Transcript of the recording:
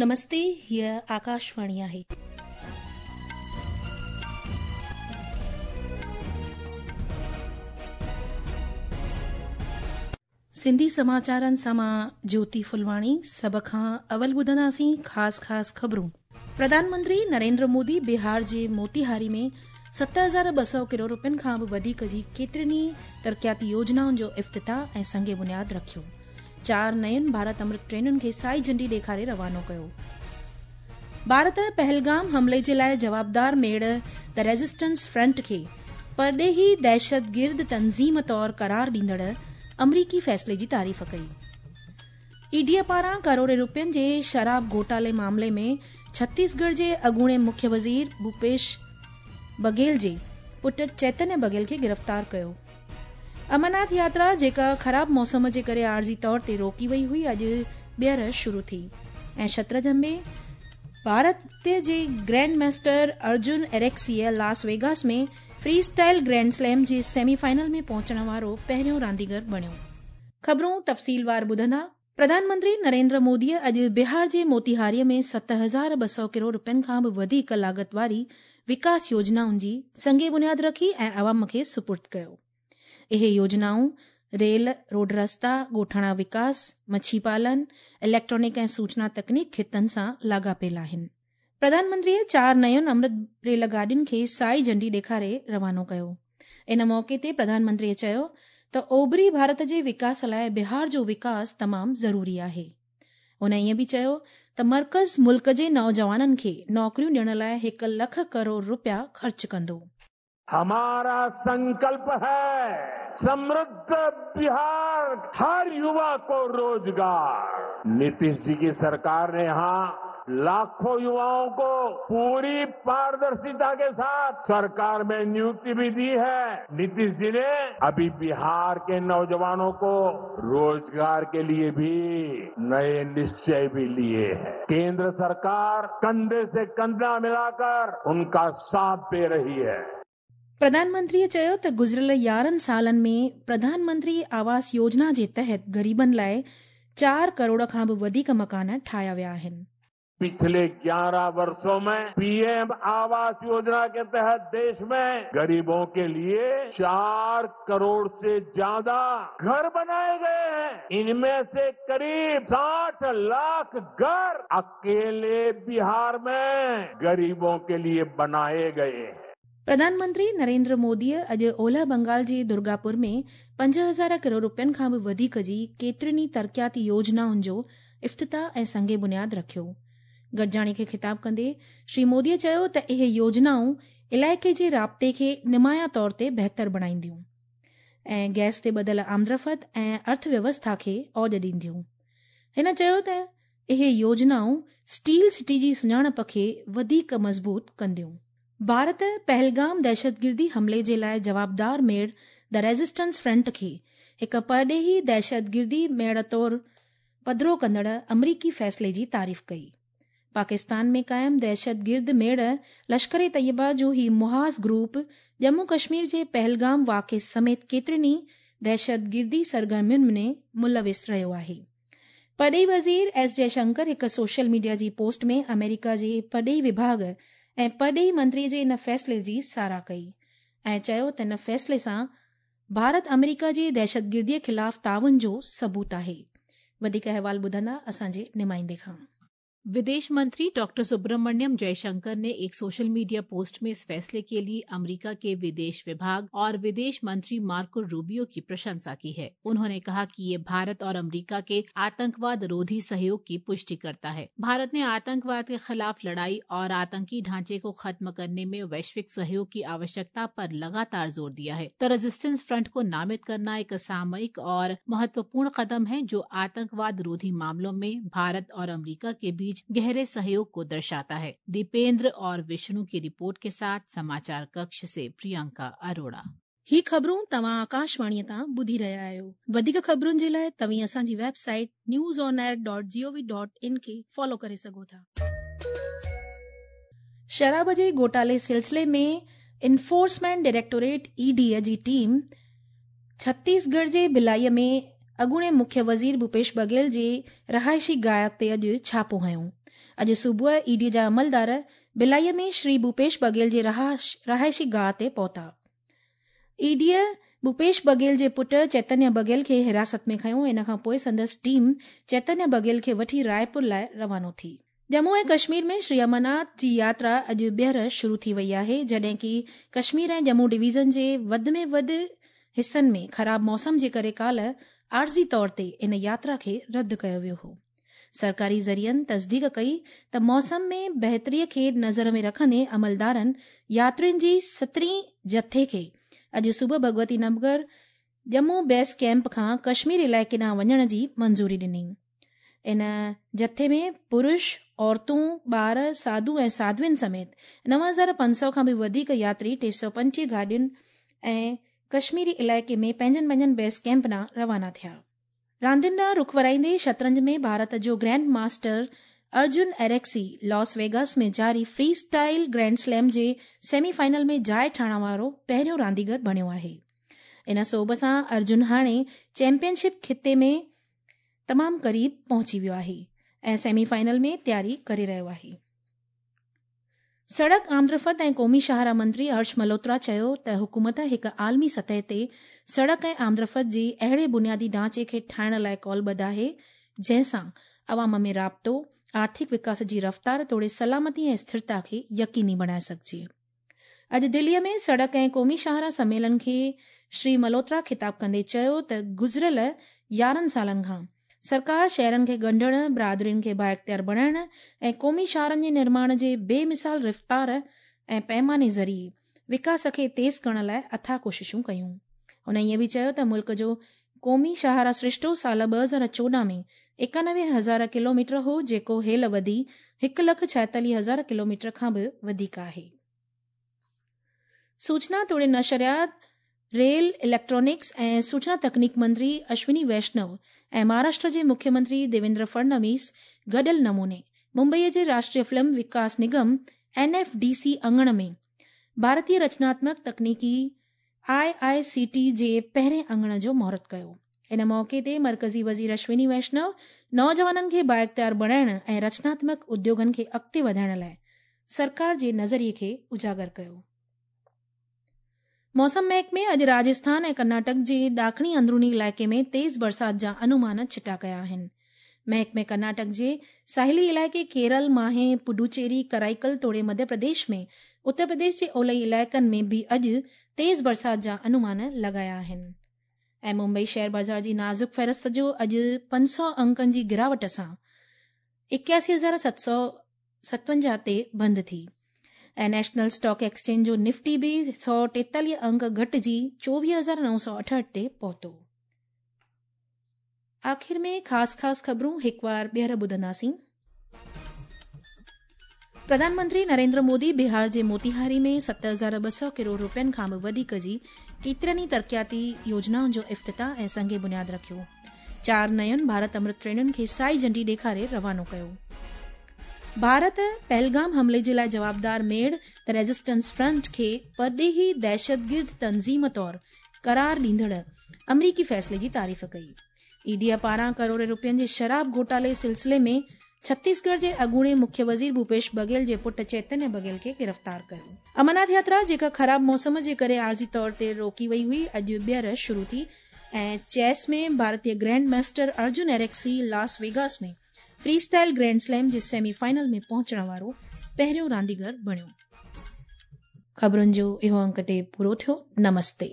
نمستي، هيء آڪاشواڻي آهي. سنڌي سماچارن سان مان جوتي ڦلواڻي سڀ کان اول ٻڌنداسين خاص خاص خبرون. پرڌان منتري نريندر مودي بهار جي موتيهاري ۾ 7200 ڪروڙ روپين کان به وڌيڪ جي ڪيترين ئي ترقياتي يوجنائن جو افتتاح ۽ سنگ بنياد رکيو. چار نين ڀارت امرت ٽرينن کي سائي جهنڊي ڏيکاري روانو ڪيو. ڀارت پهلگام حملي جي لاء جوابدار ميڙ the resistance front کي پرڏيهي دهشتگرد تنظيم طور قرار ڏيندڙ آمريڪي فيصلي جي تعريف ڪئي. اي ڊي پاران ڪروڙين روپين جي شراب گهوٽالي معاملي ۾ ڇتيسڳڙهه جي اڳوڻي مکيه وزير ڀوپيش بگهيل جي پٽ چيتنيه بگهيل کي گرفتار ڪيو. امرناٿ ياترا جيڪا خراب موسم جي ڪري عارضي طور تي روڪي وئي هئي اڄ ٻيهر شروع ٿي ۽ شطرنج ۾ ڀارت جي grand master Arjun Erigaisi Las Vegas ۾ freestyle grand slam جي سيمي فائنل ۾ پهچڻ وارو پهريون رانديگر بڻيو. خبرون تفصيلوار ٻڌندا، پرڌان منتري نريندر موديء اڄ بهار جي موتيهاريء ۾ 7200 ڪروڙ روپين کان به وڌيڪ لاڳت واري وڪاس يوجنائن جي سنگ بنياد رکي ۽ عوام کي سپرد ڪيو. اهي يوجنائون ريل، روڊ رستا، ڳوٺاڻا وڪاس، مڇي پالن، اليڪٽرانڪ ۽ سوچنا تڪنيڪ خطن سان لاڳاپيل آهن. پرڌان منتريء چار نين امرت ريل گاڏين کي سائي جهنڊي ڏيکاري روانو ڪيو. ان موقعي تي پرڌان منتريء چيو ته اوڀري ڀارت جي وڪاس لاء بهار جو وڪاس تمام ضروري آهي. هن ائين به چيو ته مرڪز ملڪ جي نوجوانن کي نوڪريون ڏيڻ لاء هڪ لک ڪروڙ رپيا خرچ ڪندو. همارا سنڪلپ هي سمرڌ بهار هر يووا ڪو روزگار نتيش جي ڪي سرڪار ني يهان لاکون يووائون ڪو پوري پاردرشتا ڪي ساٿ سرڪار مين نيوڪتي ڀي the هي نتيش جي ني اڀي بهار ڪي نوجوانون ڪو روزگار ڪي ليي ڀي نئي نشچي ڀي ليي هي ڪيندر سرڪار ڪنڌي سي ڪنڌا ملاڪر انڪا ساٿ the رهي هي. پرڌان منتريء چيو ته گذريل 11 سالن ۾ پرڌان منتري آواس يوجنا جي تحت غريبن لاء چار ڪروڙ کان به وڌيڪ مڪان ٺاهيا ويا آهن. پڇلي 11 ورشون ۾ پي ايم آواس يوجنا ڪي تحت ديش ۾ غريبون ڪي ليي 4 ڪروڙ سي زياده گهر بنائي گئي هين ان مين سي قريب 60 لاک گهر اڪيلي بهار ۾ غريبون ڪي ليي بنائي گئي هين. پرڌان منتري نريندر موديء اڄ اولهه بنگال جي درگاپور ۾ 5000 ڪروڙ روپين کان به وڌيڪ جي ڪيترين ئي ترقياتي يوجنائن جو افتتاح ۽ سنگ بنياد رکيو. گڏجاڻي کي خطاب ڪندي شري موديء چيو ته اهي يوجنائون علائقي جي رابطي کي نمايان طور تي بهتر بڻائينديون ۽ گئس تي ٻڌل آمدرفت ۽ ارٿ ويوسٿا کي اوڄ ڏينديون. هن چيو ته اهي يوجنائون اسٽيل سٽي جي سڃاڻپ کي وڌيڪ مضبوط ڪنديون. ڀارت پهلگام دهشتگردي حملي جي لاء جوابدار ميڙ the resistance front کي هڪ پرڏيهي دهشتگردي ميڙ طور پڌرو ڪندڙ آمريڪي فيصلي جي تعريف ڪئي. پاڪستان ۾ قائم دهشتگرد ميڙ لشڪر طيبه جو هي محاذ گروپ ڄمون ڪشمير جي پهلگام واقعي سميت ڪيترين ئي دهشتگردي سرگرمين ۾ ملوث رهيو آهي. پرڏيهي وزير ايس جئه شنڪر هڪ سوشل ميڊيا جي پوسٽ ۾ آمريڪا جي پرڏيهي وڀاڳ ۽ پرڏيهي منتري جي ان فيصلي جي ساراهه ڪئي ۽ چيو ته ان فيصلي سان ڀارت آمريڪا جي دهشتگردي خلاف تعاون جو ثبوت آهي. وڌيڪ احوال ٻڌندا اسان جي نمائندي کان. विदेश मंत्री डॉक्टर सुब्रमण्यम जयशंकर ने एक सोशल मीडिया पोस्ट में इस फैसले के लिए अमेरिका के विदेश विभाग और विदेश मंत्री मार्को रूबियो की प्रशंसा की है। उन्होंने कहा कि ये भारत और अमेरिका के आतंकवाद रोधी सहयोग की पुष्टि करता है। भारत ने आतंकवाद के खिलाफ लड़ाई और आतंकी ढांचे को खत्म करने में वैश्विक सहयोग की आवश्यकता पर लगातार जोर दिया है। The resistance front को नामित करना एक सामयिक और महत्वपूर्ण कदम है जो आतंकवाद रोधी मामलों में भारत और अमेरिका के बीच गहरे सहयोग को दर्शाता है। दीपेंद्र और विष्णु की रिपोर्ट के साथ समाचार कक्ष से प्रियंका अरोड़ा। ही ख़बरूं तव्हां आकाशवाणीअ तां ॿुधी रहिया आहियो। वधीक ख़बरुनि जे लाइ तव्हीं असांजी website news on air dot G O V dot in खे फॉलो करे सघो था। शराब जे घोटाले सिलसिले में एनफोर्समेंट डायरेक्टोरेट ई डी जी टीम छत्तीसगढ़ जे भिलائيء ۾ اڳوڻي مکيه وزير ڀوپيش بگهيل جي رهائشي گاهه تي اڄ ڇاپو هنيو. اڄ صبح اي ڊي جا عملدار ڀلائي ۾ شري ڀوپيش بگهيل جي رهائشي گاهه تي پهتا. اي ڊي ڀوپيش بگهيل جي پٽ چيتنيه بگهيل کي حراست ۾ کنيو. ان کان پوء سندس ٽيم چيتنيه بگهيل کي وٺي رائپور لاء روانو ٿي. ڄمون ۽ ڪشمير ۾ شري امرناٿ جي ياترا اڄ ٻيهر شروع ٿي وئي آهي، جڏهن ڪي ڪشمير ۽ ڄمون ڊويزن جي وڌ ۾ وڌ حصن ۾ خراب موسم جي ڪري ڪالهه عارضي طور تي ان ياترا کي رد ڪيو ويو هو. سرڪاري ذريعن تصديق ڪئي ته موسم ۾ بهتري کي نظر ۾ رکندي عملدارن ياترين جي سترهين جٿي کي اڄ صبح ڀڳوتي نگر ڄمون بيس ڪئمپ کان ڪشمير علائقي ڏانهن وڃڻ جي منظوري ڏني. ان جٿي ۾ پرش، عورتون، ٻار، ساڌو ۽ ساڌوين سميت 9500 کان به وڌيڪ ياتري 325 گاڏين ۽ ڪشميري علائقي ۾ پنهنجن پنهنجن بيس ڪئمپ ڏانهن روانا ٿيا. راندين ڏانهن رخ ورائيندي شطرنج ۾ ڀارت جو grand master Arjun Erigaisi Las Vegas ۾ جاري فري اسٽائل گرينڊ سليم جي سيمي فائنل ۾ جاء ٺاهڻ وارو پهريون رانديگر بڻيو آهي. ان سوڀ سان ارجن هاڻي چيمپيئن شپ خطي ۾ تمام قريب پهچي ويو آهي ۽ سيمي فائنل ۾ تياري ڪري رهيو آهي. سڙڪ، آمدرفت ۽ قومي شاهراهه منتري هرش ملهوترا چيو ته حڪومت هڪ عالمي سطح تي سڙڪ ۽ آمدرفت جي اهڙي بنيادي ڍانچي کي ٺاهڻ لاء قولبڌ آهي جنهن سان عوام ۾ رابطو، آرٿڪ وڪاس جي رفتار توڙي سلامتي ۽ اسٿرتا کي يقيني بڻائي سگهجي. اڄ دليء ۾ سڙڪ ۽ قومي شاهراهه سميلن کي شري ملهوترا خطاب ڪندي چيو ته گذريل 11 سالن کان سرڪار شهرن کي ڳنڍڻ، برادرين کي بااختيار بڻائڻ ۽ قومي شاهراهن جي نرماڻ جي بي مثال رفتار ۽ پئماني ذريعي وڪاس کي تيز ڪرڻ لاء اٿاهه ڪوششون ڪيون. هن ائين به چيو ته ملڪ جو قومي شاهراهه سرشتو سال 2014 ۾ 91 هزار ڪلوميٽر هو جيڪو هيل وڌي هڪ لک 46 هزار ڪلوميٽر کان به وڌيڪ آهي. سوچنا توڙي نشريات، ريل، اليڪٽرانڪس ۽ سوچنا تڪنيڪ منتري اشوني ويشنو ۽ مهاراشٽر جي مکيه منتري ديويندر فڙنويس گڏيل نموني ممبئي جي Rashtriya film Vikas Nigam, N F D C, اڱڻ ۾ ڀارتي رچناتمڪ تڪنيڪي، آء آء سي ٽي، جي پهرين اڱڻ جو مهورت ڪيو. ان موقعي تي مرڪزي وزير اشوني ويشنو نوجوانن کي بااختيار بڻائڻ ۽ رچناتمڪ اديوگن کي اڳتي وڌائڻ لاء سرڪار جي نظريي کي اجاگر ڪيو. موسم محڪمي اڄ راجسٿان ۽ ڪرناٽڪ جي ڏاکڻي اندروني علائقي ۾ تيز برسات جا انومان ڇٽا ڪيا آهن. محڪمي ڪرناٽڪ جي ساحلي علائقي ڪيرل، ماهي، پڊوچيري، ڪرائيڪل توڙي مڌيه پرديش ۾ اتر پرديش جي اولهي علائقن ۾ به اڄ تيز برسات جا انومان لڳايا آهن. ۽ ممبئي شيئر بازار جي نازڪ فهرست جو اڄ 500 انڪن جي گراوٽ سان 81,757 تي بند ٿي ۽ نيشنل اسٽاڪ ايڪسچينج جو نفٽي به 143 انڪ گهٽجي 24,968 تي پهتو. آخر ۾ خاص خاص خبرون هڪ وار ٻيهر ٻڌنداسين. پرڌان منتري نريندر مودي بهار جي موتيهاري ۾ 7200 ڪروڙ روپين کان به وڌيڪ جي ڪيترين ئي ترقياتي يوجنائن جو افتتاح ۽ سنگ بنياد رکيو. چار نين ڀارت امرت ٽرينن کي سائي جهنڊي ڏيکاري روانو ڪيو. ڀارت پهلگام حملي جي لاء جوابدار ميڙ ته ريزسٽنس فرنٽ کي پرڏيهي دهشتگرد تنظيم طور قرار ڏيندڙ آمريڪي فيصلي جي تعريف ڪئي. اي ڊي پاران ڪروڙين روپين جي شراب گهوٽالي سلسلي ۾ ڇتيسڳڙهه جي اڳوڻي مکيه وزير ڀوپيش بگهيل جي پٽ چيتنيه بگهيل کي گرفتار ڪيو. امرناٿ ياترا جيڪا خراب موسم جي ڪري عارضي طور تي روڪي وئي هئي اڄ ٻيهر شروع ٿي ۽ چيس ۾ ڀارتي grand master Arjun Erigaisi Las Vegas ۾ free style grand slam جي سيمي فائنل ۾ پهچڻ وارو پهريون رانديگر بڻيو. خبرن جو اهو انڪ تي پورو ٿيو. نمستي.